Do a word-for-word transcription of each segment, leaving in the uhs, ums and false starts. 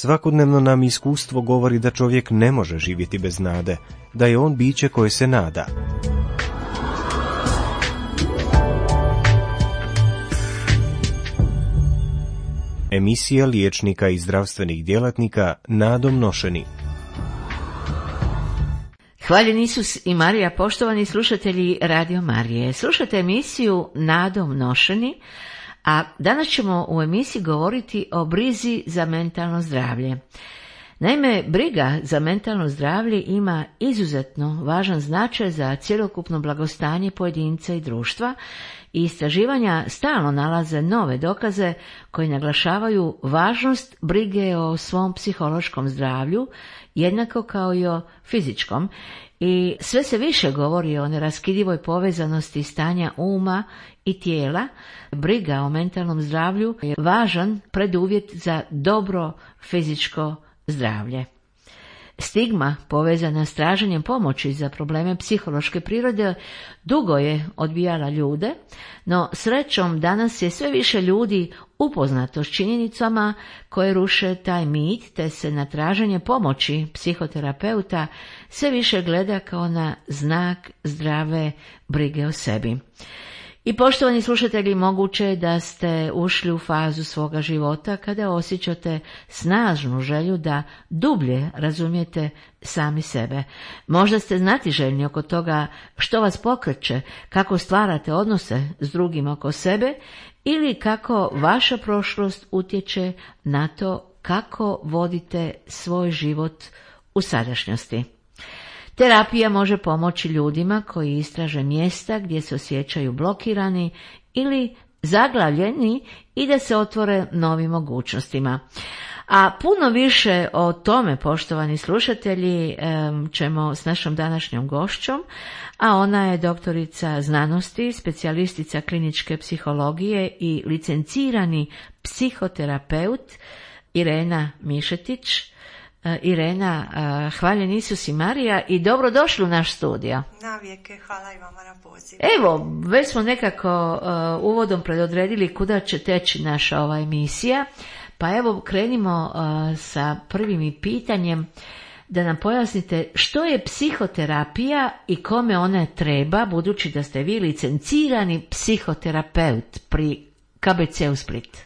Svakodnevno nam iskustvo govori da čovjek ne može živjeti bez nade, da je on biće koje se nada. Emisija liječnika i zdravstvenih djelatnika Nadom nošeni. Hvaljen Isus i Marija, poštovani slušatelji Radio Marije. Slušate emisiju Nadom nošeni, a danas ćemo u emisiji govoriti o brizi za mentalno zdravlje. Naime, briga za mentalno zdravlje ima izuzetno važan značaj za cjelokupno blagostanje pojedinca i društva i istraživanja stalno nalaze nove dokaze koji naglašavaju važnost brige o svom psihološkom zdravlju, jednako kao i o fizičkom, i sve se više govori o neraskidivoj povezanosti stanja uma i tijela. Briga o mentalnom zdravlju je važan preduvjet za dobro fizičko zdravlje. Stigma povezana s traženjem pomoći za probleme psihološke prirode dugo je odbijala ljude, no srećom danas je sve više ljudi upoznato s činjenicama koje ruše taj mit, te se na traženje pomoći psihoterapeuta sve više gleda kao na znak zdrave brige o sebi. I poštovani slušatelji, moguće je da ste ušli u fazu svoga života kada osjećate snažnu želju da dublje razumijete sami sebe. Možda ste znatiželjni oko toga što vas pokreće, kako stvarate odnose s drugim oko sebe ili kako vaša prošlost utječe na to kako vodite svoj život u sadašnjosti. Terapija može pomoći ljudima koji istraže mjesta gdje se osjećaju blokirani ili zaglavljeni i da se otvore novim mogućnostima. A puno više o tome, poštovani slušatelji, ćemo s našom današnjom gošćom, a ona je doktorica znanosti, specijalistica kliničke psihologije i licencirani psihoterapeut Irena Mišetić. Irena, hvaljen Isus i Marija i dobrodošli u naš studio. Navijeke, hvala i vama na pozivu. Evo, već smo nekako uh, uvodom predodredili kuda će teći naša ova emisija, pa evo krenimo uh, sa prvim pitanjem da nam pojasnite što je psihoterapija i kome ona treba, budući da ste vi licencirani psihoterapeut pri K B C-u Split.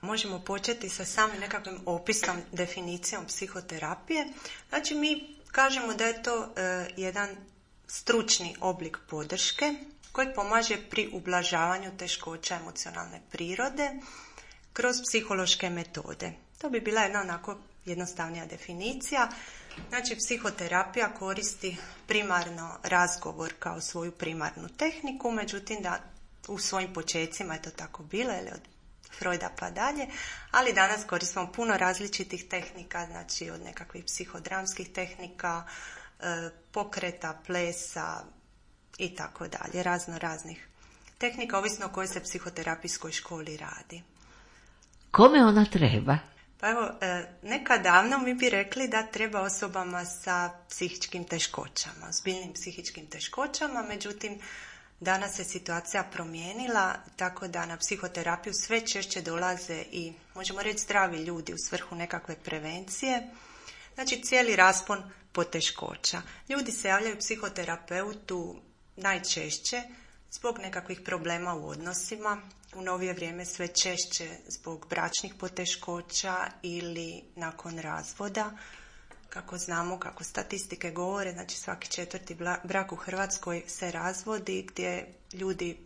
Možemo početi sa samim nekakvim opisom, definicijom psihoterapije. Znači, mi kažemo da je to e, jedan stručni oblik podrške koji pomaže pri ublažavanju teškoća emocionalne prirode kroz psihološke metode. To bi bila jedna onako jednostavnija definicija. Znači, psihoterapija koristi primarno razgovor kao svoju primarnu tehniku, međutim da u svojim počecima je to tako bilo, ili od Freuda pa dalje, ali danas koristimo puno različitih tehnika, znači od nekakvih psihodramskih tehnika, pokreta, plesa i tako dalje, razno raznih tehnika, ovisno o kojoj se psihoterapijskoj školi radi. Kome ona treba? Pa evo, nekad davno mi bi rekli da treba osobama sa psihičkim teškoćama, zbiljnim psihičkim teškoćama, međutim, danas se situacija promijenila, tako da na psihoterapiju sve češće dolaze i, možemo reći, zdravi ljudi u svrhu nekakve prevencije. Znači, cijeli raspon poteškoća. Ljudi se javljaju psihoterapeutu najčešće zbog nekakvih problema u odnosima, u novije vrijeme sve češće zbog bračnih poteškoća ili nakon razvoda. Kako znamo, kako statistike govore, znači svaki četvrti brak u Hrvatskoj se razvodi, gdje ljudi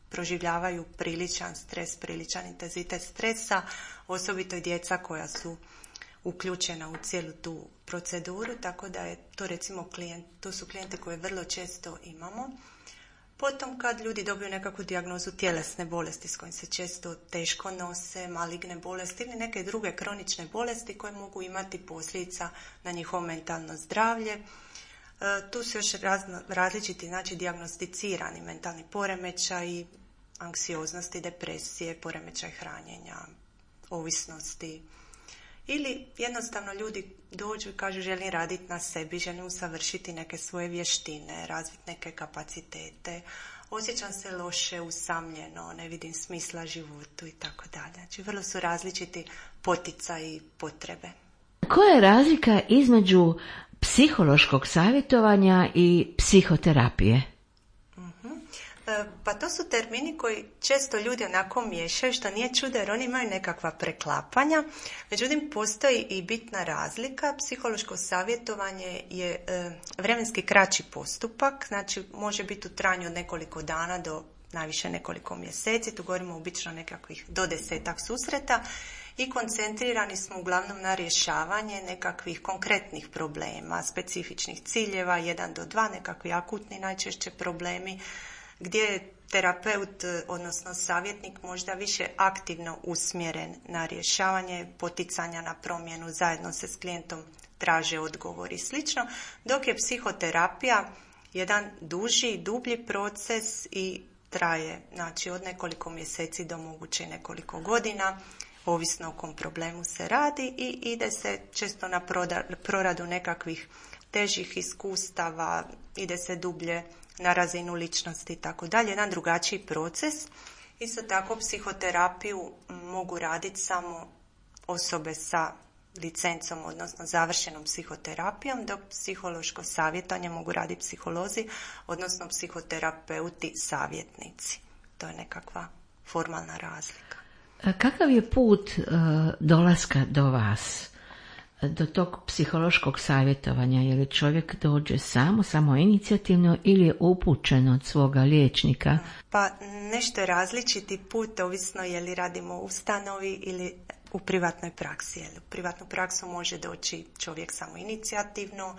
proživljavaju priličan stres, priličan intenzitet stresa, osobito i djeca koja su uključena u cijelu tu proceduru, tako da je to recimo klijent, to su klijente koje vrlo često imamo. Potom kad ljudi dobiju nekakvu dijagnozu tjelesne bolesti s kojim se često teško nose, maligne bolesti ili neke druge kronične bolesti koje mogu imati posljedica na njihovo mentalno zdravlje. E, tu su još razno, različiti, znači, dijagnosticirani mentalni poremećaj, anksioznosti, depresije, poremećaj hranjenja, ovisnosti. Ili jednostavno ljudi dođu i kažu želim raditi na sebi, želim usavršiti neke svoje vještine, razviti neke kapacitete, osjećam se loše, usamljeno, ne vidim smisla životu i tako dalje. Znači vrlo su različiti poticaji i potrebe. Koja je razlika između psihološkog savjetovanja i psihoterapije? Pa to su termini koji često ljudi onako miješaju, što nije čudo jer oni imaju nekakva preklapanja. Međutim, postoji i bitna razlika. Psihološko savjetovanje je e, vremenski kraći postupak, znači može biti u trajanju od nekoliko dana do najviše nekoliko mjeseci. Tu govorimo obično nekakvih do desetak susreta i koncentrirani smo uglavnom na rješavanje nekakvih konkretnih problema, specifičnih ciljeva, jedan do dva, nekakvi akutni najčešće problemi, gdje je terapeut, odnosno savjetnik, možda više aktivno usmjeren na rješavanje, poticanja na promjenu, zajedno se s klijentom traže odgovor i slično, dok je psihoterapija jedan duži, dublji proces i traje, znači od nekoliko mjeseci do moguće i nekoliko godina, ovisno o kom problemu se radi i ide se često na proradu nekakvih težih iskustava, ide se dublje na razinu ličnosti i tako dalje, jedan drugačiji proces. Isto tako psihoterapiju mogu raditi samo osobe sa licencom, odnosno završenom psihoterapijom, dok psihološko savjetovanje mogu raditi psiholozi, odnosno psihoterapeuti savjetnici. To je nekakva formalna razlika. Kakav je put uh, dolaska do vas? Do tog psihološkog savjetovanja, je li čovjek dođe samo, samo inicijativno ili je upućen od svoga liječnika? Pa nešto je različiti put, ovisno je li radimo u ustanovi ili u privatnoj praksi. Jer u privatnu praksu može doći čovjek samo inicijativno,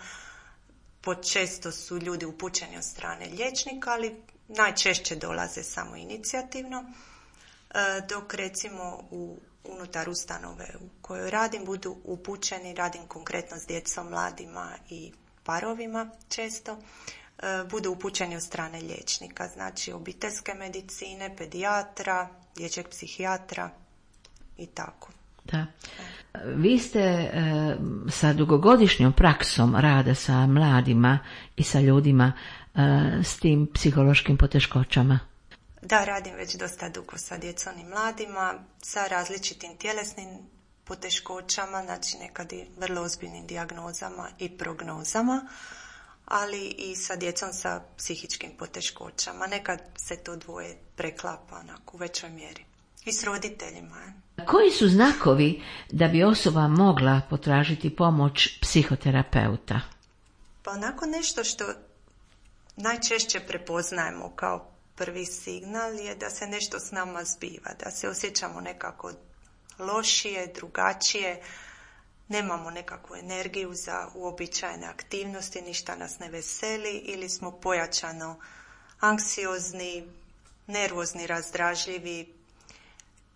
počesto su ljudi upućeni od strane liječnika, ali najčešće dolaze samo inicijativno, dok recimo u unutar ustanove u kojoj radim budu upućeni, radim konkretno s djecom, mladima i parovima često, budu upućeni od strane liječnika, znači obiteljske medicine, pedijatra, dječjeg psihijatra i tako. Da. Vi ste e, sa dugogodišnjom praksom rada sa mladima i sa ljudima e, s tim psihološkim poteškoćama. Da, radim već dosta dugo sa djecom i mladima, sa različitim tjelesnim poteškoćama, znači nekad i vrlo ozbiljnim dijagnozama i prognozama, ali i sa djecom sa psihičkim poteškoćama. Nekad se to dvoje preklapa onako u većoj mjeri. I s roditeljima. Koji su znakovi da bi osoba mogla potražiti pomoć psihoterapeuta? Pa onako nešto što najčešće prepoznajemo kao prvi signal je da se nešto s nama zbiva, da se osjećamo nekako lošije, drugačije, nemamo nekakvu energiju za uobičajene aktivnosti, ništa nas ne veseli ili smo pojačano anksiozni, nervozni, razdražljivi,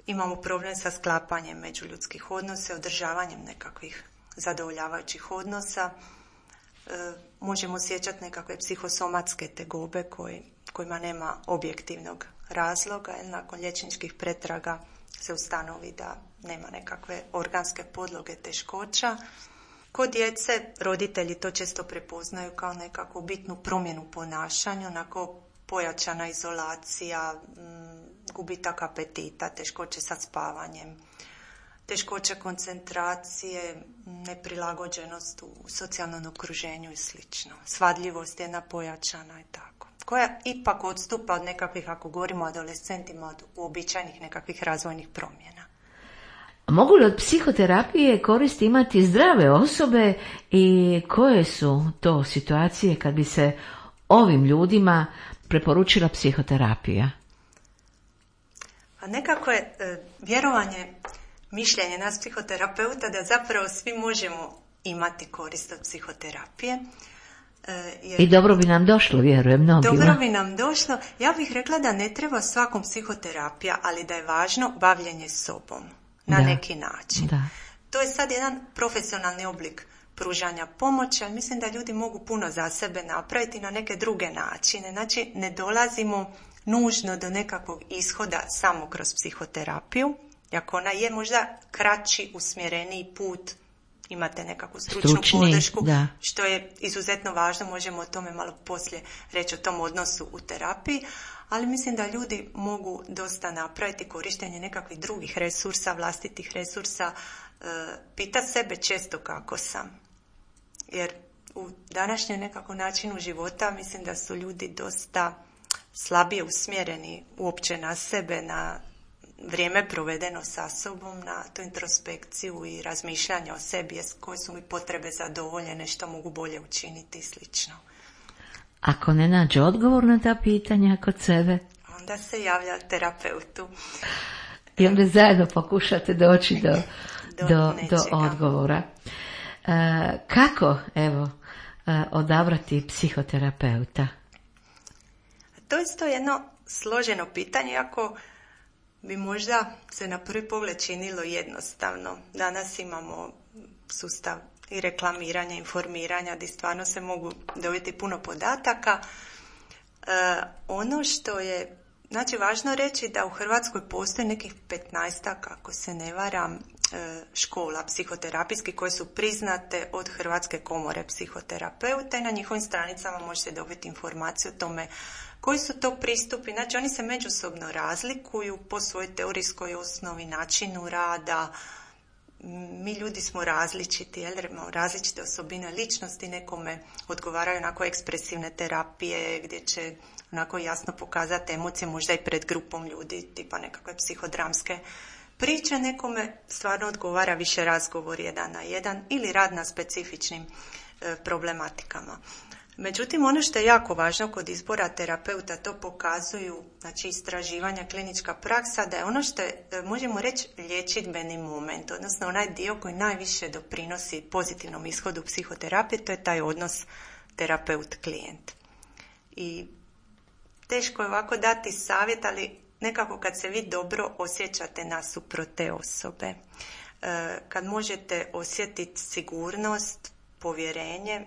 imamo problem sa sklapanjem međuljudskih odnosa, održavanjem nekakvih zadovoljavajućih odnosa, e, možemo osjećati nekakve psihosomatske tegobe koji, kojima nema objektivnog razloga, jer nakon liječničkih pretraga se ustanovi da nema nekakve organske podloge teškoća. Kod djece roditelji to često prepoznaju kao nekakvu bitnu promjenu ponašanja, onako pojačana izolacija, gubitak apetita, teškoće sa spavanjem, teškoće koncentracije, neprilagođenost u socijalnom okruženju i slično. Svadljivost je jedna pojačana i tako. Koja ipak odstupa od nekakvih, ako govorimo o adolescentima, od uobičajenih nekakvih razvojnih promjena. Mogu li od psihoterapije koristi imati zdrave osobe i koje su to situacije kad bi se ovim ljudima preporučila psihoterapija? A nekako je e, vjerovanje, mišljenje nas psihoterapeuta da zapravo svi možemo imati korist od psihoterapije. E, jer, I dobro bi nam došlo, vjerujem, mnogima. Dobro bi nam došlo. Ja bih rekla da ne treba svakom psihoterapija, ali da je važno bavljenje sobom na da. neki način. Da. To je sad jedan profesionalni oblik pružanja pomoći, ali mislim da ljudi mogu puno za sebe napraviti na neke druge načine. Znači, ne dolazimo nužno do nekakvog ishoda samo kroz psihoterapiju, iako ona je možda kraći, usmjereniji put, imate nekakvu stručnu Stručni, podršku, da. što je izuzetno važno, možemo o tome malo poslije reći o tom odnosu u terapiji, ali mislim da ljudi mogu dosta napraviti korištenje nekakvih drugih resursa, vlastitih resursa, pita sebe često kako sam. Jer u današnjem nekako načinu života mislim da su ljudi dosta slabije usmjereni uopće na sebe, na vrijeme provedeno sa sobom, na tu introspekciju i razmišljanje o sebi, koje su mi potrebe zadovoljene, što mogu bolje učiniti i slično. Ako ne nađe odgovor na ta pitanja kod sebe, onda se javlja terapeutu. I onda zajedno pokušate doći do, do, do, do odgovora. E, kako, evo, e, odabrati psihoterapeuta? To je isto jedno složeno pitanje, iako bi možda se na prvi pogled činilo jednostavno. Danas imamo sustav i reklamiranja, informiranja, gdje stvarno se mogu dobiti puno podataka. E, ono što je, znači, važno reći da u Hrvatskoj postoji nekih petnaestak, ako se ne varam, škola psihoterapijskih koje su priznate od Hrvatske komore psihoterapeuta i na njihovim stranicama možete dobiti informaciju o tome koji su to pristupi. Znači, oni se međusobno razlikuju po svojoj teorijskoj osnovi, načinu rada. Mi ljudi smo različiti, jer imamo različite osobine ličnosti, nekome odgovaraju onako ekspresivne terapije gdje će onako jasno pokazati emocije, možda i pred grupom ljudi, tipa nekakve psihodramske priče, nekome stvarno odgovara više razgovor jedan na jedan ili rad na specifičnim e, problematikama. Međutim, ono što je jako važno kod izbora terapeuta, to pokazuju, znači, istraživanja, klinička praksa, da je ono što je, možemo reći, liječidbeni moment, odnosno onaj dio koji najviše doprinosi pozitivnom ishodu psihoterapije, to je taj odnos terapeut-klijent. I teško je ovako dati savjet, ali nekako kad se vi dobro osjećate nasuprot te osobe, kad možete osjetiti sigurnost, povjerenje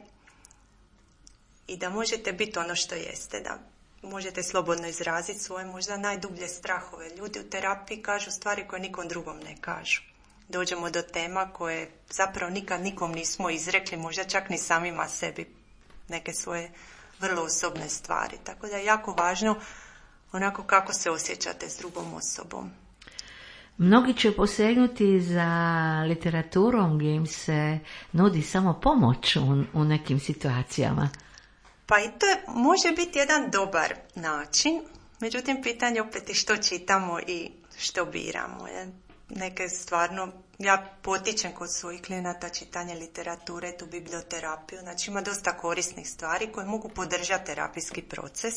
i da možete biti ono što jeste, da možete slobodno izraziti svoje možda najdublje strahove. Ljudi u terapiji kažu stvari koje nikom drugom ne kažu. Dođemo do tema koje zapravo nikad nikom nismo izrekli, možda čak ni samima sebi, neke svoje vrlo osobne stvari. Tako da je jako važno onako kako se osjećate s drugom osobom. Mnogi će posegnuti za literaturom gdje im se nudi samo pomoć u, u nekim situacijama. Pa i to je, može biti jedan dobar način, međutim pitanje opet je što čitamo i što biramo. Neke stvarno, ja potičem kod svojih klijenata čitanje literature, tu biblioterapiju, znači ima dosta korisnih stvari koje mogu podržati terapijski proces.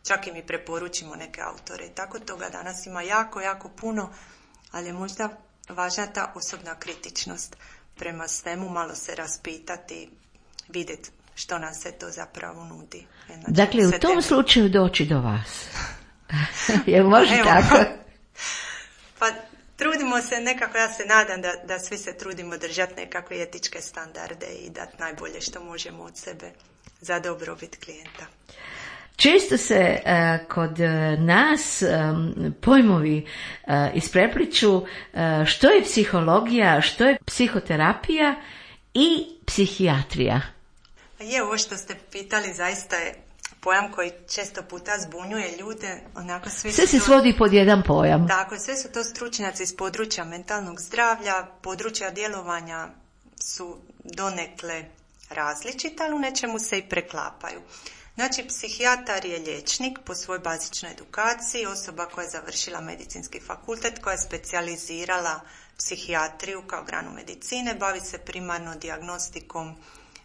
Čak i mi preporučimo neke autore i tako toga danas ima jako, jako puno, ali je možda važna ta osobna kritičnost prema svemu, malo se raspitati, vidjeti što nam se to zapravo nudi. Znači, dakle, u tom teme... slučaju doći do vas. Jel može Evo, tako? Pa trudimo se nekako, ja se nadam da, da svi se trudimo držati nekakve etičke standarde i dati najbolje što možemo od sebe za dobrobit klijenta. Često se uh, kod nas um, pojmovi uh, isprepliču uh, što je psihologija, što je psihoterapija i psihijatrija. Je, ovo što ste pitali zaista je pojam koji često puta zbunjuje ljude. Onako svi sve se to, svodi pod jedan pojam. Tako, sve su to stručnjaci iz područja mentalnog zdravlja, područja djelovanja su donekle različita, ali u nečemu se i preklapaju. Znači, psihijatar je liječnik po svojoj bazičnoj edukaciji, osoba koja je završila medicinski fakultet, koja je specijalizirala psihijatriju kao granu medicine, bavi se primarno dijagnostikom,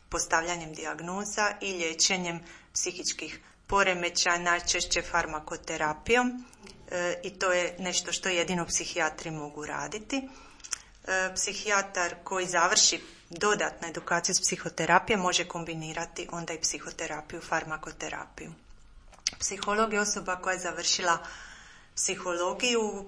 postavljanjem dijagnoza i liječenjem psihičkih poremećaja, najčešće farmakoterapijom, e, i to je nešto što jedino psihijatri mogu raditi. E, psihijatar koji završi dodatnu edukaciju s psihoterapije može kombinirati onda i psihoterapiju, farmakoterapiju. Psiholog je osoba koja je završila psihologiju,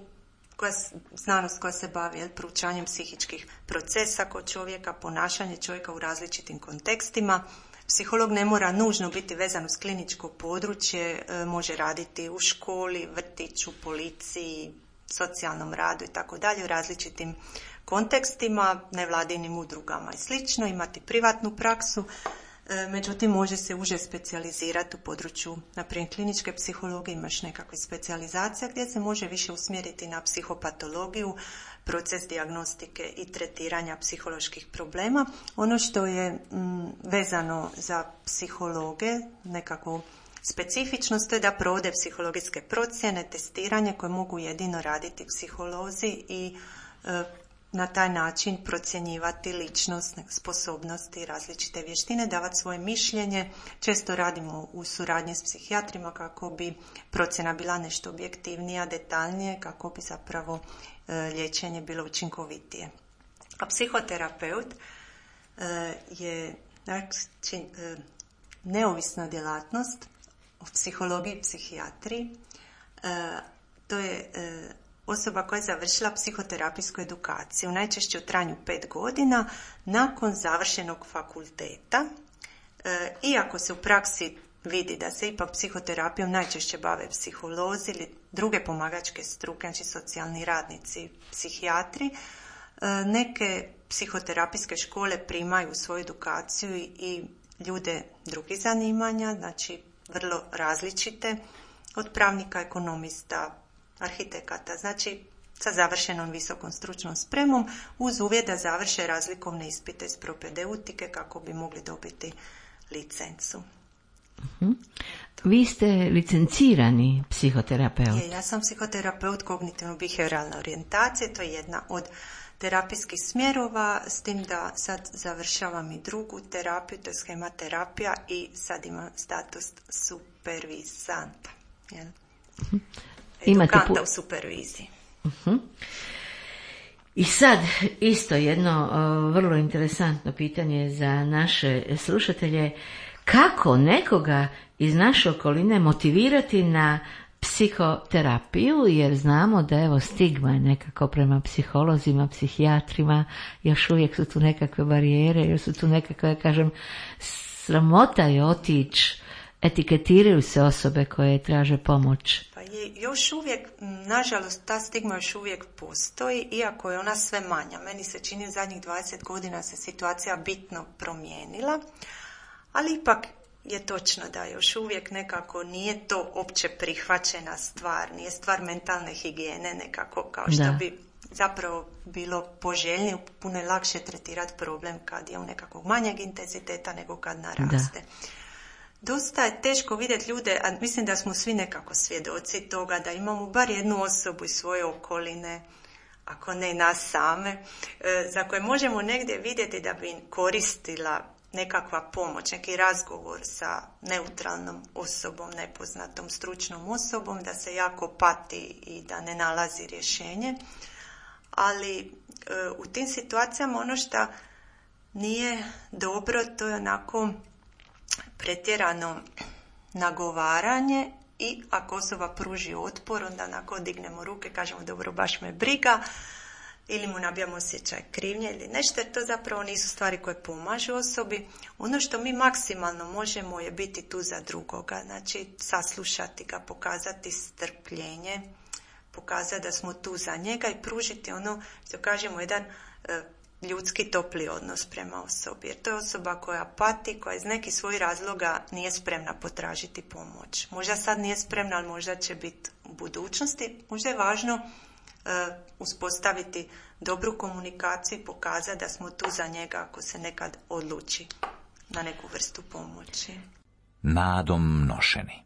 koja, znanost koja se bavi jel, proučavanjem psihičkih procesa kod čovjeka, ponašanje čovjeka u različitim kontekstima. Psiholog ne mora nužno biti vezan uz kliničko područje, e, može raditi u školi, vrtiću, policiji, socijalnom radu i tako dalje, u različitim kontekstima, nevladinim udrugama i slično, imati privatnu praksu. Međutim, može se uže specijalizirati u području, naprimjer kliničke psihologije, imaš nekakve specijalizacije gdje se može više usmjeriti na psihopatologiju, proces dijagnostike i tretiranja psiholoških problema. Ono što je m, vezano za psihologe, nekako specifičnost, to je da provode psihologijske procjene, testiranje koje mogu jedino raditi psiholozi i e, na taj način procjenjivati ličnost, sposobnosti, različite vještine, davati svoje mišljenje. Često radimo u suradnji s psihijatrima kako bi procjena bila nešto objektivnija, detaljnije, kako bi zapravo e, liječenje bilo učinkovitije. A psihoterapeut e, je znači, e, neovisna djelatnost u psihologiji i psihijatriji. E, to je e, osoba koja je završila psihoterapijsku edukaciju, najčešće u trajanju pet godina, nakon završenog fakulteta. E, iako se u praksi vidi da se ipak psihoterapijom najčešće bave psiholozi ili druge pomagačke struke, znači socijalni radnici, psihijatri, e, neke psihoterapijske škole primaju svoju edukaciju i, i ljude drugih zanimanja, znači vrlo različite, od pravnika, ekonomista, arhitekata, znači sa završenom visokom stručnom spremom, uz uvjet da završe razlikovne ispite iz propedeutike kako bi mogli dobiti licencu. Uh-huh. Vi ste licencirani psihoterapeut. Je, ja sam psihoterapeut kognitivno-behavioralne orijentacije, to je jedna od terapijskih smjerova, s tim da sad završavam i drugu terapiju, to je schematerapija i sad imam status supervizanta. Jel? Uh-huh. Edukanta pu... u superviziji. Uh-huh. I sad isto jedno uh, vrlo interesantno pitanje za naše slušatelje. Kako nekoga iz naše okoline motivirati na psihoterapiju, jer znamo da evo stigma je nekako prema psiholozima, psihijatrima, još uvijek su tu nekakve barijere, još su tu nekakve, kažem, sramota je otići, etiketiraju se osobe koje traže pomoć. Pa je, još uvijek, nažalost, ta stigma još uvijek postoji, iako je ona sve manja. Meni se čini zadnjih dvadeset godina se situacija bitno promijenila, ali ipak je točno da još uvijek nekako nije to opće prihvaćena stvar, nije stvar mentalne higijene nekako kao što da. bi zapravo bilo poželjnije, puno je lakše tretirati problem kad je u nekakvog manjeg intenziteta nego kad naraste. Da. Dosta je teško vidjeti ljude, a mislim da smo svi nekako svjedoci toga da imamo bar jednu osobu iz svoje okoline, ako ne nas same, za koje možemo negdje vidjeti da bi koristila nekakva pomoć, neki razgovor sa neutralnom osobom, nepoznatom stručnom osobom, da se jako pati i da ne nalazi rješenje. Ali e, u tim situacijama ono što nije dobro, to je onako pretjerano nagovaranje i ako osoba pruži otpor, onda onako dignemo ruke, kažemo dobro, baš me briga, ili mu nabijamo osjećaj krivnje ili nešto, jer to zapravo nisu stvari koje pomažu osobi. Ono što mi maksimalno možemo je biti tu za drugoga, znači saslušati ga, pokazati strpljenje, pokazati da smo tu za njega i pružiti ono što kažemo jedan e, ljudski topli odnos prema osobi. Jer to je osoba koja pati, koja iz nekih svojih razloga nije spremna potražiti pomoć. Možda sad nije spremna, ali možda će biti u budućnosti. Možda je važno uh, uspostaviti dobru komunikaciju i pokazati da smo tu za njega ako se nekad odluči na neku vrstu pomoći. Nadom nošeni.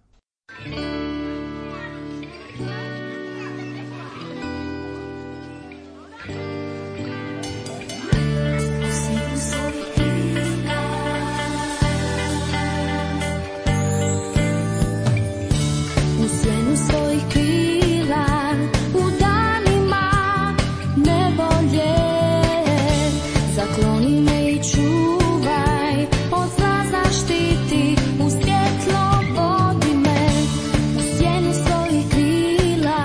Svjetlo vodi me u sjenu svojih krila.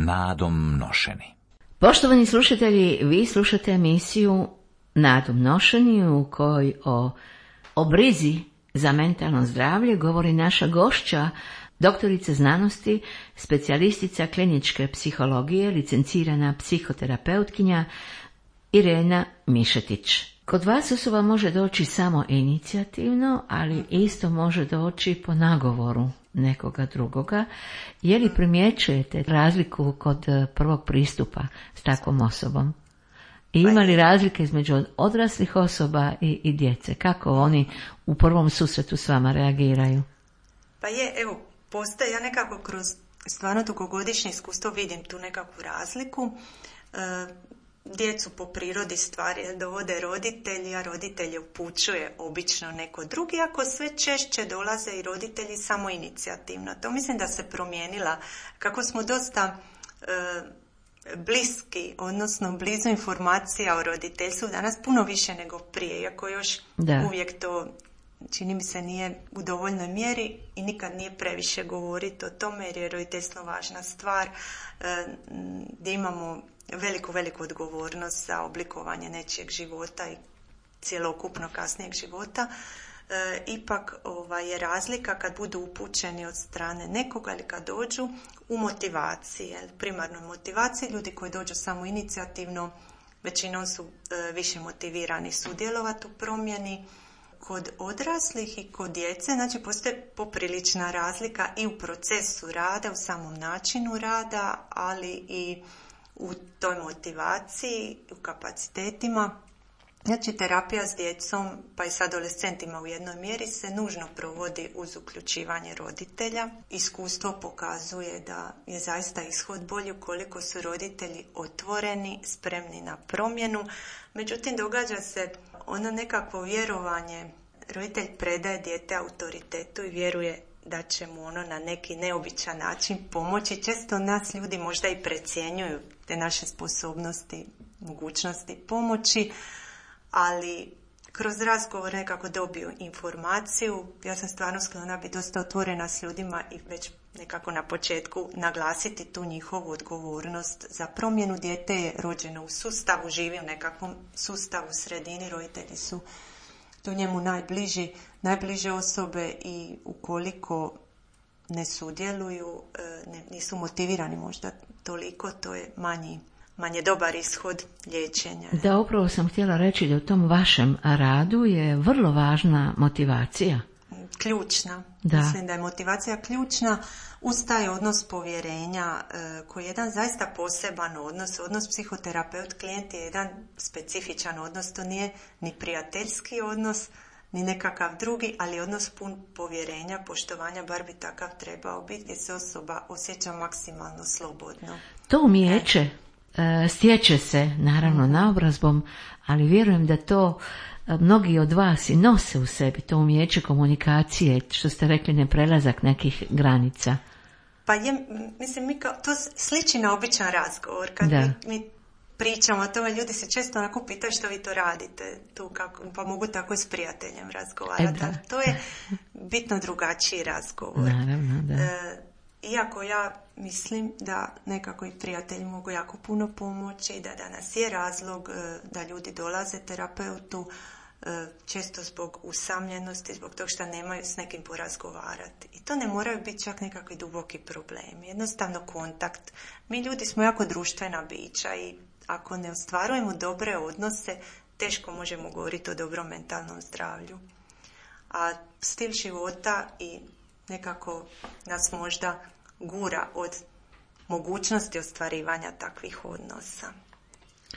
nadom nošeni. Poštovani slušatelji, vi slušate emisiju Nadom nošeni u kojoj o, o brizi za mentalno zdravlje govori naša gošća, doktorica znanosti, specijalistica kliničke psihologije, licencirana psihoterapeutkinja Irena Mišetić. Kod vas osoba može doći samo inicijativno, ali isto može doći po nagovoru nekoga drugoga. Je li primjećujete razliku kod prvog pristupa s takvom osobom? I ima li razlike između odraslih osoba i, i djece? Kako oni u prvom susretu s vama reagiraju? Pa je, evo, postoje, ja nekako kroz stvarno dugogodišnje iskustvo vidim tu nekakvu razliku. E, djecu po prirodi stvari dovode roditelji, a roditelje upućuje obično neko drugi, ako sve češće dolaze i roditelji samoinicijativno. To mislim da se promijenila, kako smo dosta e, bliski, odnosno blizu informacija o roditeljstvu danas puno više nego prije, iako još da. uvijek to čini mi se nije u dovoljnoj mjeri i nikad nije previše govoriti o tome jer je roditeljstvo važna stvar e, gdje imamo veliku, veliku odgovornost za oblikovanje nečijeg života i cjelokupno kasnijeg života. E, ipak ova, je razlika kad budu upućeni od strane nekoga ili kad dođu u motivaciji, primarnoj motivaciji. Ljudi koji dođu samo inicijativno većinom su e, više motivirani sudjelovati u promjeni. Kod odraslih i kod djece, znači postoji poprilična razlika i u procesu rada, u samom načinu rada, ali i u toj motivaciji, u kapacitetima. Znači, terapija s djecom, pa i s adolescentima u jednoj mjeri se nužno provodi uz uključivanje roditelja. Iskustvo pokazuje da je zaista ishod bolji ukoliko su roditelji otvoreni, spremni na promjenu. Međutim, događa se ono nekakvo vjerovanje, roditelj predaje dijete autoritetu i vjeruje da će mu ono na neki neobičan način pomoći. Često nas ljudi možda i precjenjuju te naše sposobnosti, mogućnosti pomoći, ali kroz razgovor nekako dobiju informaciju. Ja sam stvarno sklona biti dosta otvorena s ljudima i već nekako na početku naglasiti tu njihovu odgovornost za promjenu. Dijete je rođeno u sustavu, živi u nekakvom sustavu, sredini, roditelji su tu njemu najbliži, najbliže osobe i ukoliko ne sudjeluju, ne, nisu motivirani možda toliko, to je manji manje dobar ishod liječenja. Da, upravo sam htjela reći da u tom vašem radu je vrlo važna motivacija. Ključna. Da. Mislim da je motivacija ključna uz taj odnos povjerenja koji je jedan zaista poseban odnos. Odnos psihoterapeut-klijent je jedan specifičan odnos. To nije ni prijateljski odnos, ni nekakav drugi, ali odnos pun povjerenja, poštovanja, bar bi takav trebao biti, gdje se osoba osjeća maksimalno slobodno. To umijeće stječe se naravno naobrazbom, ali vjerujem da to mnogi od vas i nose u sebi, to umijeće komunikacije, što ste rekli, neprelazak nekih granica. Pa je, mislim, mi kao, to sliči na običan razgovor. Kad mi, mi pričamo o tome, ljudi se često onako pitaju što vi to radite, tu kako, pa mogu tako i s prijateljem razgovarati. E, to je bitno drugačiji razgovor. Naravno, da. E, Iako ja mislim da nekako i prijatelji mogu jako puno pomoći i da danas je razlog da ljudi dolaze terapeutu često zbog usamljenosti, zbog toga što nemaju s nekim porazgovarati. I to ne moraju biti čak nekakvi duboki problemi. Jednostavno kontakt. Mi ljudi smo jako društvena bića i ako ne ostvarujemo dobre odnose, teško možemo govoriti o dobrom mentalnom zdravlju. A stil života i nekako nas možda gura od mogućnosti ostvarivanja takvih odnosa.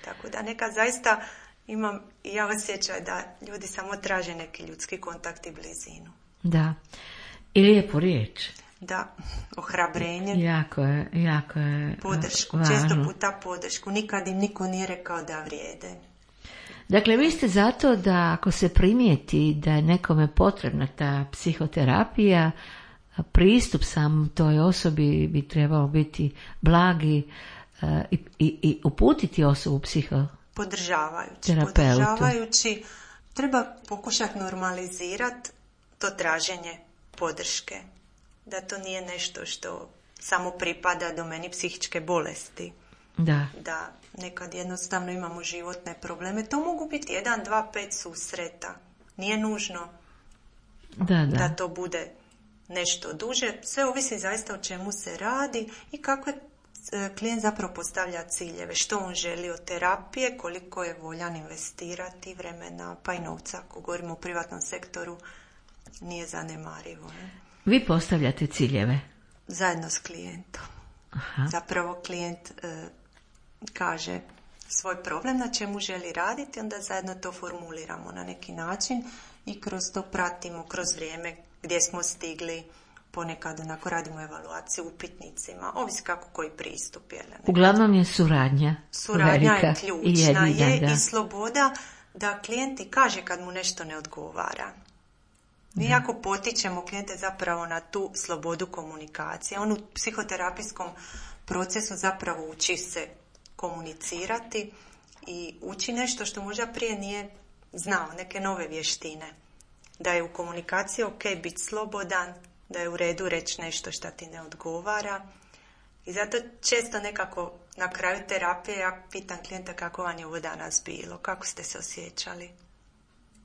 Tako da nekad zaista imam i ja osjećaj da ljudi samo traže neki ljudski kontakt i blizinu. Da. I lijepu riječ. Da, ohrabrenje. Jako je, jako je podršku, važno. Često puta podršku. Nikad im niko nije rekao da vrijede. Dakle, vi ste zato da ako se primijeti da je nekome potrebna ta psihoterapija, pristup sam toj osobi bi trebao biti blagi uh, i, i, i uputiti osobu psihoterapeutu. Podržavajući. Podržavajući. Treba pokušati normalizirati to traženje podrške. Da to nije nešto što samo pripada domeni psihičke bolesti. Da. Da nekad jednostavno imamo životne probleme. To mogu biti jedan, dva, pet susreta. Nije nužno da, da. da to bude nešto duže. Sve ovisi zaista o čemu se radi i kako je klijent zapravo postavlja ciljeve. Što on želi od terapije, koliko je voljan investirati vremena, pa i novca. Ako govorimo o privatnom sektoru, nije zanemarivo. Ne? Vi postavljate ciljeve? Zajedno s klijentom. Aha. Zapravo klijent e, kaže svoj problem na čemu želi raditi, onda zajedno to formuliramo na neki način i kroz to pratimo kroz vrijeme gdje smo stigli, ponekad onako radimo evaluaciju upitnicima, ovisi kako koji pristup je. Uglavnom je suradnja. Suradnja velika je ključna i jedina, je da. I sloboda da klijenti kaže kad mu nešto ne odgovara. Mi jako potičemo klijente zapravo na tu slobodu komunikacije. On u psihoterapijskom procesu zapravo uči se komunicirati i uči nešto što možda prije nije znao, neke nove vještine. Da je u komunikaciji ok biti slobodan, da je u redu reći nešto što ti ne odgovara. I zato često nekako na kraju terapije ja pitam klijenta kako vam je ovo danas bilo, kako ste se osjećali.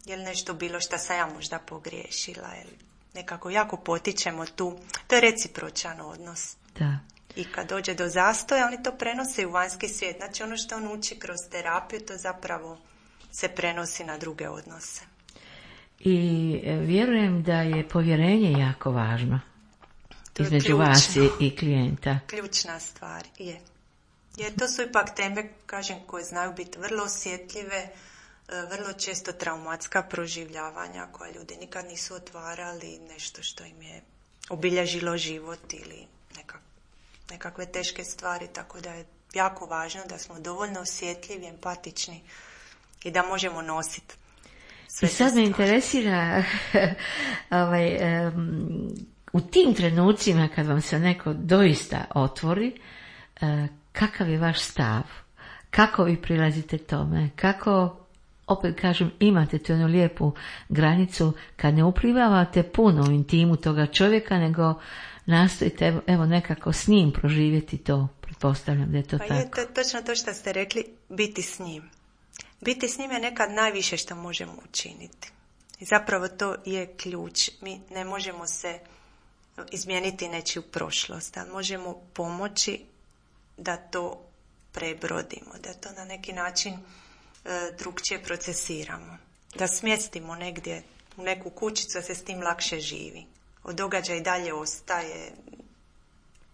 Je li nešto bilo što sam ja možda pogriješila? Ili nekako jako potičemo tu. To je recipročan odnos. Da. I kad dođe do zastoja, oni to prenose u vanjski svijet. Znači ono što on uči kroz terapiju, to zapravo se prenosi na druge odnose. I vjerujem da je povjerenje jako važno između vas i klijenta. Ključna stvar je. Jer to su ipak teme, kažem, koje znaju biti vrlo osjetljive, vrlo često traumatska proživljavanja koja ljudi nikad nisu otvarali, nešto što im je obilježilo život ili nekak, nekakve teške stvari, tako da je jako važno da smo dovoljno osjetljivi, empatični i da možemo nositi sve. I sad me interesira ovaj, um, u tim trenucima kad vam se neko doista otvori, uh, kakav je vaš stav? Kako vi prilazite tome? Kako, opet kažem, imate tu jednu lijepu granicu kad ne uplivavate puno u intimu toga čovjeka, nego nastojite evo nekako s njim proživjeti to, pretpostavljam da je to pa tako. Pa je to točno to što ste rekli, biti s njim. Biti s njim je nekad najviše što možemo učiniti. I zapravo to je ključ. Mi ne možemo se izmijeniti nečiju prošlost, ali možemo pomoći da to prebrodimo, da to na neki način e, drugčije procesiramo. Da smjestimo negdje u neku kućicu, da se s tim lakše živi. Od događaja i dalje ostaje,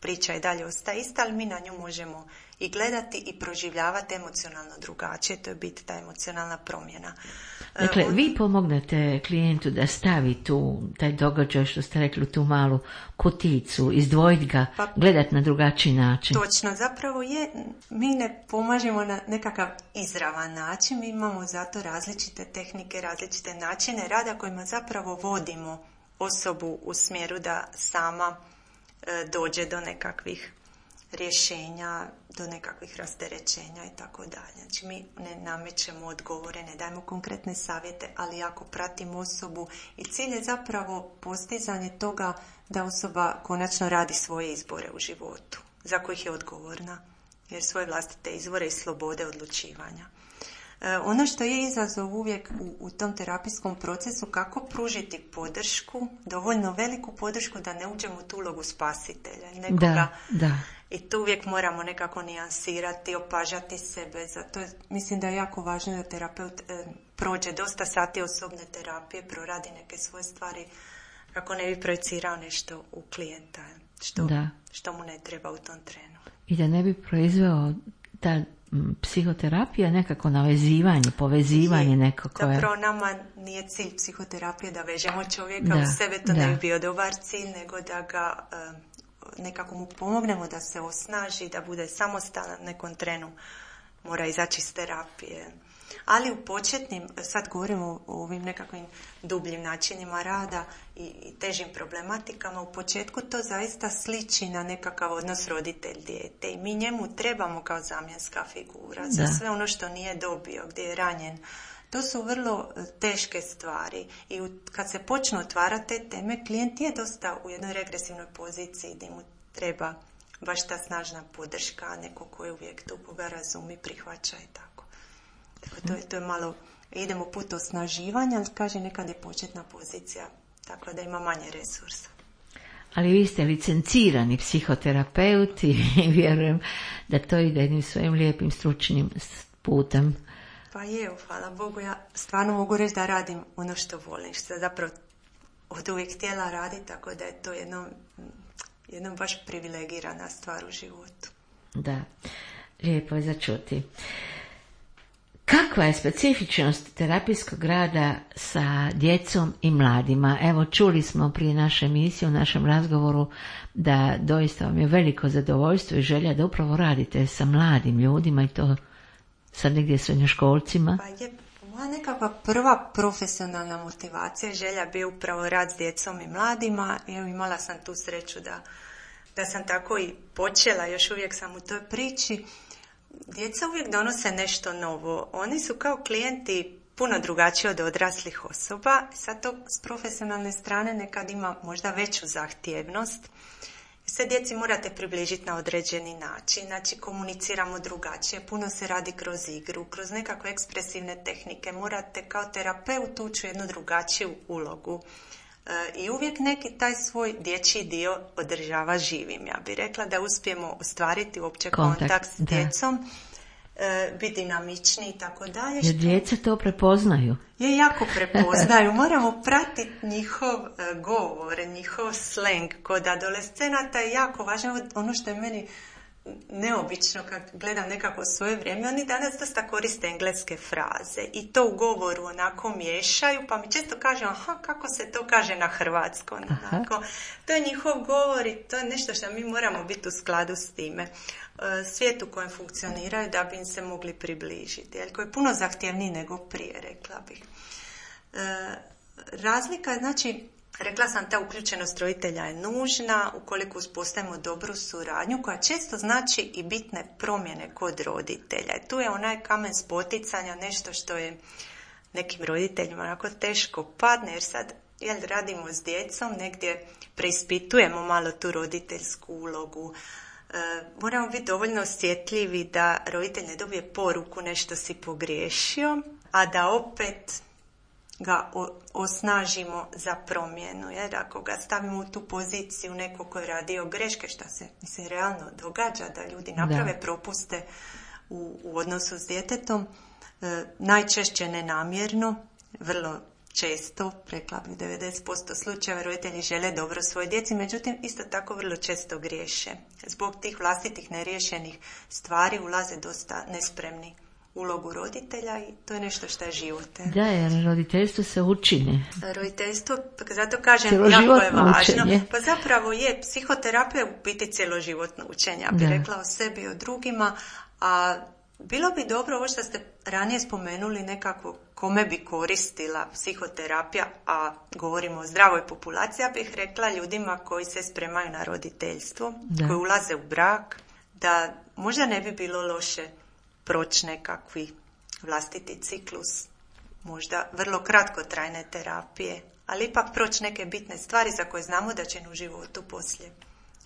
priča i dalje ostaje ista, ali mi na nju možemo i gledati i proživljavati emocionalno drugačije. To je biti ta emocionalna promjena. Dakle, On... vi pomognete klijentu da stavi tu, taj događaj, što ste rekli, tu malu kuticu, izdvojiti ga, pa, gledati na drugačiji način. Točno, zapravo je, mi ne pomažemo na nekakav izravan način, mi imamo zato različite tehnike, različite načine rada kojima zapravo vodimo osobu u smjeru da sama e, dođe do nekakvih rješenja, do nekakvih rasterećenja i tako dalje. Znači mi ne namećemo odgovore, ne dajemo konkretne savjete, ali jako pratimo osobu i cilj je zapravo postizanje toga da osoba konačno radi svoje izbore u životu, za kojih je odgovorna, jer svoje vlastite izvore i slobode odlučivanja. E, ono što je izazov uvijek u, u tom terapijskom procesu, kako pružiti podršku, dovoljno veliku podršku da ne uđemo u tu ulogu spasitelja. Nekoga, da, da. I tu uvijek moramo nekako nijansirati, opažati sebe. Zato mislim da je jako važno da terapeut e, prođe dosta sati osobne terapije, proradi neke svoje stvari, kako ne bi projicirao nešto u klijenta, što, što mu ne treba u tom trenu. I da ne bi proizveo ta psihoterapija nekako navezivanje, povezivanje neko koje... Zapravo nama nije cilj psihoterapije da vežemo čovjeka da, u sebe, to da. ne bi bio dobar cilj, nego da ga e, nekako mu pomognemo da se osnaži, da bude samostalan, nekom trenu mora izaći iz terapije. Ali u početnim, sad govorimo o ovim nekakvim dubljim načinima rada i, i težim problematikama, u početku to zaista sliči na nekakav odnos roditelj-dijete i mi njemu trebamo kao zamjenska figura za da. sve ono što nije dobio, gdje je ranjen. To su vrlo teške stvari i u, kad se počnu otvarati te teme, klijent je dosta u jednoj regresivnoj poziciji gdje mu treba baš ta snažna podrška, neko ko je uvijek tu, koga razumi, prihvaća i tako. Tako to je, to je malo, idemo put osnaživanja, ali kaže nekad je početna pozicija, tako da ima manje resursa. Ali vi ste licencirani psihoterapeut i vjerujem da to ide jednim svojim lijepim stručnim putem. Pa je, hvala Bogu, ja stvarno mogu reći da radim ono što volim, što sam zapravo od uvijek htjela raditi, tako da je to jedno, jedno baš privilegirana stvar u životu. Da, lijepo je za čuti. Kakva je specifičnost terapijskog rada sa djecom i mladima? Evo, čuli smo prije naše emisije, u našem razgovoru, da doista vam je veliko zadovoljstvo i želja da upravo radite sa mladim ljudima i to sad negdje srednjoškolcima. Pa je, moja nekakva prva profesionalna motivacija i želja bi upravo rad s djecom i mladima. Evo, imala sam tu sreću da, da sam tako i počela, još uvijek sam u toj priči. Djeca uvijek donose nešto novo. Oni su kao klijenti puno drugačiji od odraslih osoba. Sad to s profesionalne strane nekad ima možda veću zahtjevnost. Sve djeci morate približiti na određeni način, znači komuniciramo drugačije, puno se radi kroz igru, kroz nekakve ekspresivne tehnike, morate kao terapeut ući u jednu drugačiju ulogu. E, I uvijek neki taj svoj dječji dio održava živim. Ja bih rekla da uspijemo ostvariti uopće kontakt, kontakt s djecom, e, biti dinamični i tako dalje. Jer djeca to prepoznaju. Je, jako prepoznaju. Moramo pratiti njihov uh, govor, njihov sleng. Kod adolescenata je jako važno. Ono što je meni neobično kad gledam nekako svoje vrijeme, oni danas dosta koriste engleske fraze i to u govoru onako miješaju, pa mi često kažu, aha, kako se to kaže na hrvatskom. Onako. To je njihov govor i to je nešto što mi moramo biti u skladu s time. Svijet u kojem funkcioniraju da bi im se mogli približiti, jer koji je puno zahtjevniji nego prije, rekla bih. Razlika je, znači, rekla sam, ta uključenost roditelja je nužna ukoliko uspostavimo dobru suradnju koja često znači i bitne promjene kod roditelja. I tu je onaj kamen spoticanja, nešto što je nekim roditeljima onako teško padne, jer sad jel, radimo s djecom, negdje preispitujemo malo tu roditeljsku ulogu. E, moramo biti dovoljno osjetljivi da roditelj ne dobije poruku nešto si pogriješio, a da opet ga osnažimo za promjenu, jer ako ga stavimo u tu poziciju neko ko je radio greške, što se mislim realno događa, da ljudi naprave da. propuste u, u odnosu s djetetom, e, najčešće nenamjerno, vrlo često, rekla bih devedeset posto slučajeva, roditelji žele dobro svoje djeci, međutim isto tako vrlo često griješe. Zbog tih vlastitih neriješenih stvari ulaze dosta nespremni ulogu roditelja i to je nešto što je život. Da, jer roditeljstvo se učine. Roditeljstvo, zato kažem, jako je važno. Učenje. Pa zapravo je, psihoterapija u biti cjeloživotno učenje, ja bih rekla o sebi i o drugima, a bilo bi dobro, ovo što ste ranije spomenuli, nekako kome bi koristila psihoterapija, a govorimo o zdravoj populaciji, ja bih rekla ljudima koji se spremaju na roditeljstvo, da. koji ulaze u brak, da možda ne bi bilo loše proći nekakvi vlastiti ciklus, možda vrlo kratkotrajne terapije, ali ipak proći neke bitne stvari za koje znamo da će u životu poslije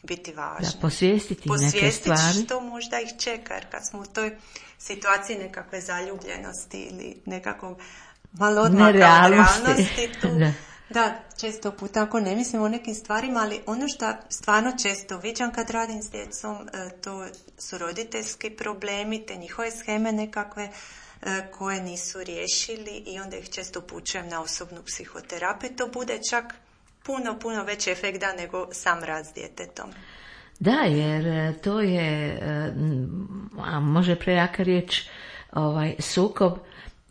biti važne. Da, posvijestiti, posvijestiti neke stvari. Što možda ih čeka, jer kad smo u toj situaciji nekakve zaljubljenosti ili nekakvog malo odmaka od realnosti, tu, da. da, često puta ako ne mislim o nekim stvarima, ali ono što stvarno često viđam kad radim s djecom, to su roditeljski problemi, te njihove sheme nekakve koje nisu riješili i onda ih često upućujem na osobnu psihoterapiju. To bude čak puno, puno veći efekt da nego sam rad s djetetom. Da, jer to je, a može prejaka riječ, ovaj, sukob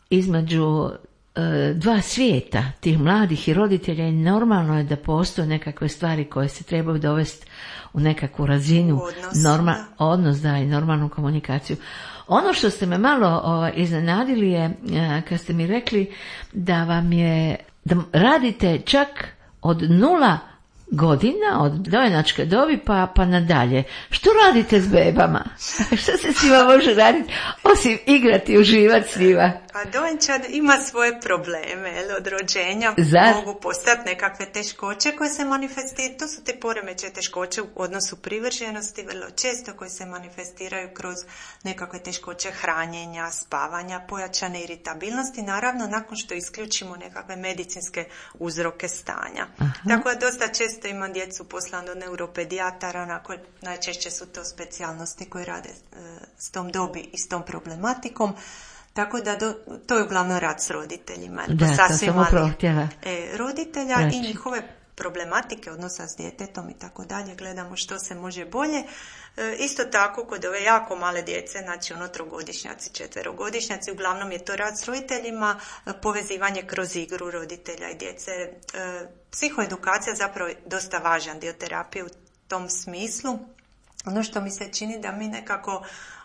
između e, dva svijeta, tih mladih i roditelja, i normalno je da postoje nekakve stvari koje se trebaju dovesti u nekakvu razinu, odnos, norma, da. odnos da, i normalnu komunikaciju. Ono što ste me malo ovaj, iznenadili je kad ste mi rekli da vam je, da radite čak od nula godina, od dojenačke dobi pa, pa nadalje. Što radite s bebama? Što se s njima može raditi osim igrati, uživati s njima? Pa dojenčad ima svoje probleme, jel, od rođenja Zar? mogu postati nekakve teškoće koje se manifestiraju. To su te poremećaje teškoće u odnosu privrženosti, vrlo često koje se manifestiraju kroz nekakve teškoće hranjenja, spavanja, pojačane iritabilnosti, naravno nakon što isključimo nekakve medicinske uzroke stanja. Aha. Tako da dosta često imam djecu poslano do neuropedijatara, onako, najčešće su to specijalnosti koje rade e, s tom dobi i s tom problematikom. Tako da do, to je uglavnom rad s roditeljima. Da, to sam upravo htjela e, roditelja reći. I njihove problematike odnosa s djetetom i tako dalje. Gledamo što se može bolje. E, isto tako kod ove jako male djece, znači ono trogodišnjaci, četverogodišnjaci, uglavnom je to rad s roditeljima, e, povezivanje kroz igru roditelja i djece. E, psihoedukacija zapravo je dosta važan dio terapije u tom smislu. Ono što mi se čini da mi nekako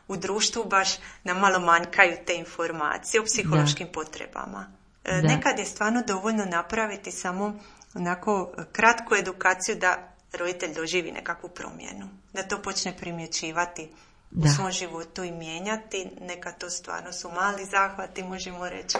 u društvu baš nam malo manjkaju te informacije o psihološkim da. potrebama. E, nekad je stvarno dovoljno napraviti samo onako kratku edukaciju da roditelj doživi nekakvu promjenu. Da to počne primjećivati da. u svom životu i mijenjati. Nekad to stvarno su mali zahvati, možemo reći,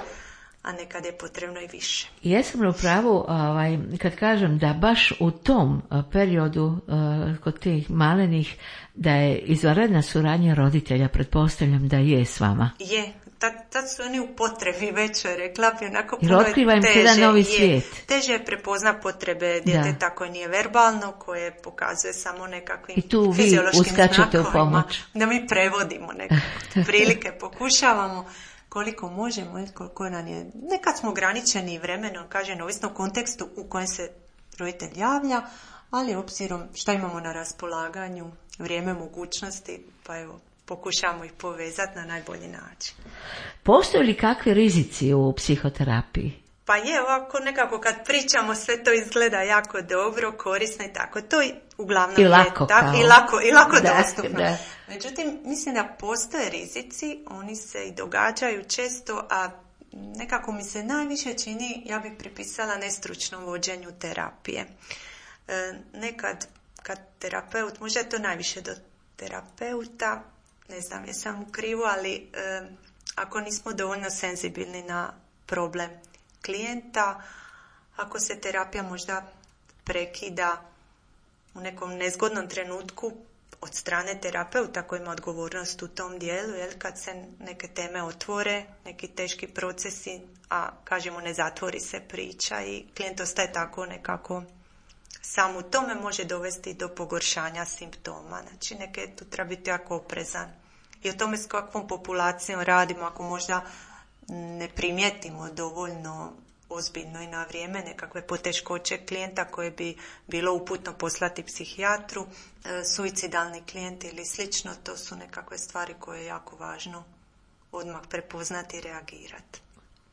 a nekad je potrebno i više. Jesam li u pravu ovaj, kad kažem da baš u tom periodu uh, kod tih malenih da je izvanredna suradnja roditelja, pretpostavljam da je s vama? Je, tad, tad su oni u potrebi većoj, rekla bi, onako puno je otkriva im se jedan novi svijet. Teže je prepozna potrebe djeteta koje nije verbalno, koje pokazuje samo nekakvim fiziološkim znakovima. Da mi prevodimo nekako prilike, pokušavamo koliko možemo, koliko nam je, nekad smo ograničeni vremenom, kažem, ovisno u kontekstu u kojem se roditelj javlja, ali obzirom šta imamo na raspolaganju, vrijeme, mogućnosti, pa evo, pokušamo ih povezati na najbolji način. Postoje li kakvi rizici u psihoterapiji? Pa je, ovako nekako kad pričamo sve to izgleda jako dobro, korisno i tako. To uglavnom I lako, je tako, kao. i lako, i lako da, dostupno. Da. Međutim, mislim da postoje rizici, oni se i događaju često, a nekako mi se najviše čini, ja bih pripisala nestručnom vođenju terapije. E, nekad kad terapeut, možda je to najviše do terapeuta, ne znam jesam u krivu, ali e, ako nismo dovoljno senzibilni na problem klijenta, ako se terapija možda prekida u nekom nezgodnom trenutku od strane terapeuta koji ima odgovornost u tom dijelu, jel, kad se neke teme otvore, neki teški procesi, a kažemo ne zatvori se priča i klijent ostaje tako nekako sam u tome, može dovesti do pogoršanja simptoma. Znači neke tu treba biti jako oprezan. I o tome s kakvom populacijom radimo, ako možda ne primijetimo dovoljno ozbiljno i na vrijeme nekakve poteškoće klijenta koje bi bilo uputno poslati psihijatru, e, suicidalni klijent ili slično, to su nekakve stvari koje je jako važno odmah prepoznati i reagirati.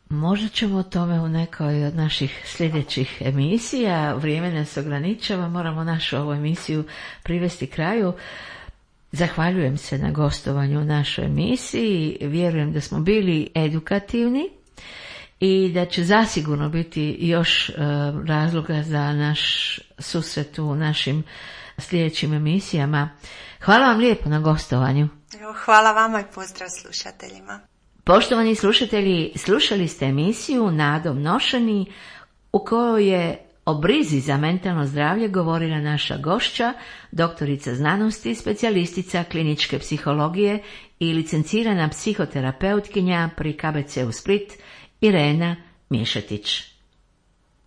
Možda ćemo o tome u nekoj od naših sljedećih emisija. Vrijeme nas ograničava, moramo našu ovu emisiju privesti kraju. Zahvaljujem se na gostovanju u našoj emisiji. Vjerujem da smo bili edukativni i da će zasigurno biti još uh, razloga za naš susret u našim sljedećim emisijama. Hvala vam lijepo na gostovanju. Evo, hvala vama i pozdrav slušateljima. Poštovani slušatelji, slušali ste emisiju Nadom nošeni u kojoj je o brizi za mentalno zdravlje govorila naša gošća, doktorica znanosti, specijalistica kliničke psihologije i licencirana psihoterapeutkinja pri K B C u Split, Irena Miješetić.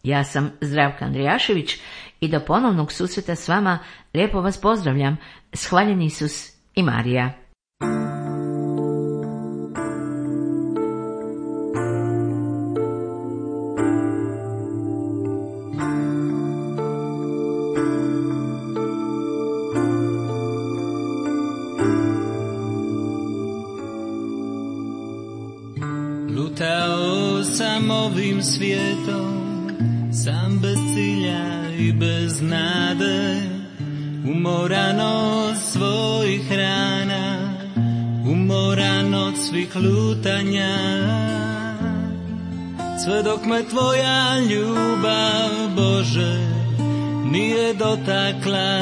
Ja sam Zdravka Andrijašević i do ponovnog susreta s vama lijepo vas pozdravljam. Shvaljeni Isus i Marija. Lutao sam ovim svijetom, sam bez cilja i bez nade, umoran od svojih rana, umoran od svih lutanja. Sve dok me tvoja ljubav, Bože, nije dotakla,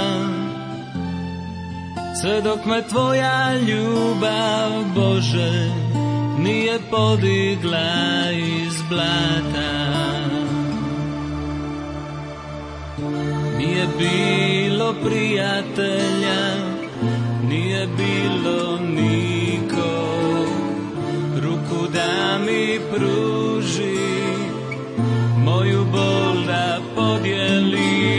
sve dok me tvoja ljubav, Bože, nije podigla iz blata. Nije bilo prijatelja, nije bilo niko, ruku da mi pruži, moju bol da podijeli,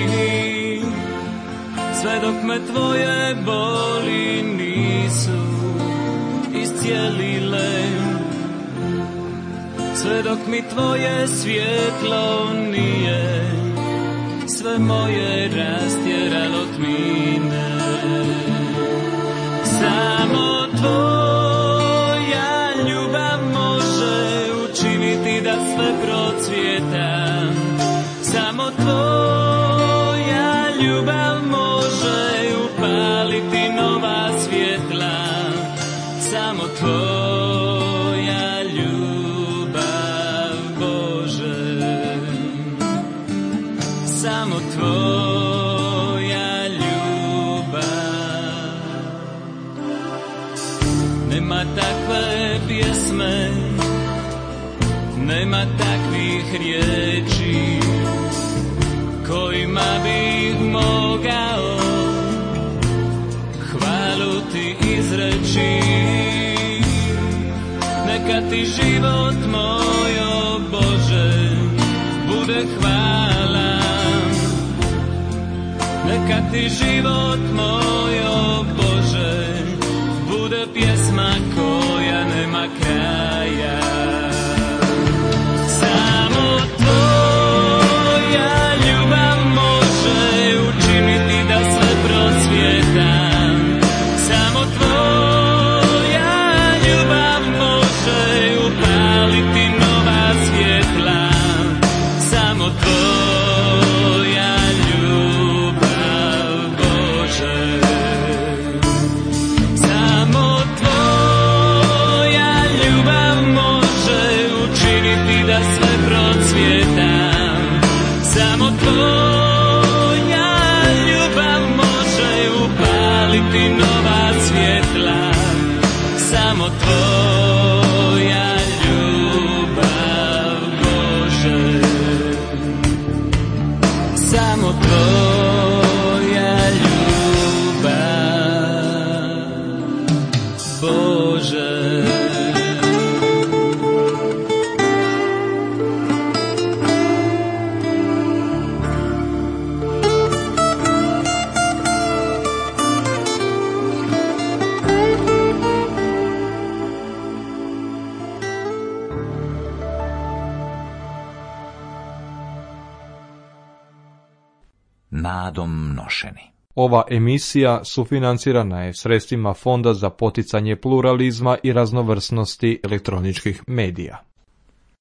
sve dok me tvoje boli nisu iscijelile, sve dok mi tvoje svjetlo nije sve moje rastjeralo tmine. Samo tvoja ljubav može učiniti da sve procvjeta, samo tvoja ljubav može upaliti nova svjetla, samo tvoja ljubav, Bože, samo tvoja ljubav. Nema takve pjesme, nema takvih riječi kojima bih mogao hvalu ti izreći. Neka ti život moj, o Bože, bude hvala. Neka ti život moj, o Bože, bude pjesma koja nema kraja. Samo tvoja ljubav može učiniti da sve procvjeta, samo tvoja ljubav može upaliti nova svjetla, samo tvoja ljubav, Bože, samo tvoja ljubav može učiniti da sve procvjeta, samo tvoja ljubav može upaliti nova svjetla, samo tvoja ljubav, Bože, samo tvoja ljubav, Bože. Nadom nošeni. Ova emisija sufinancirana je sredstvima Fonda za poticanje pluralizma i raznovrsnosti elektroničkih medija.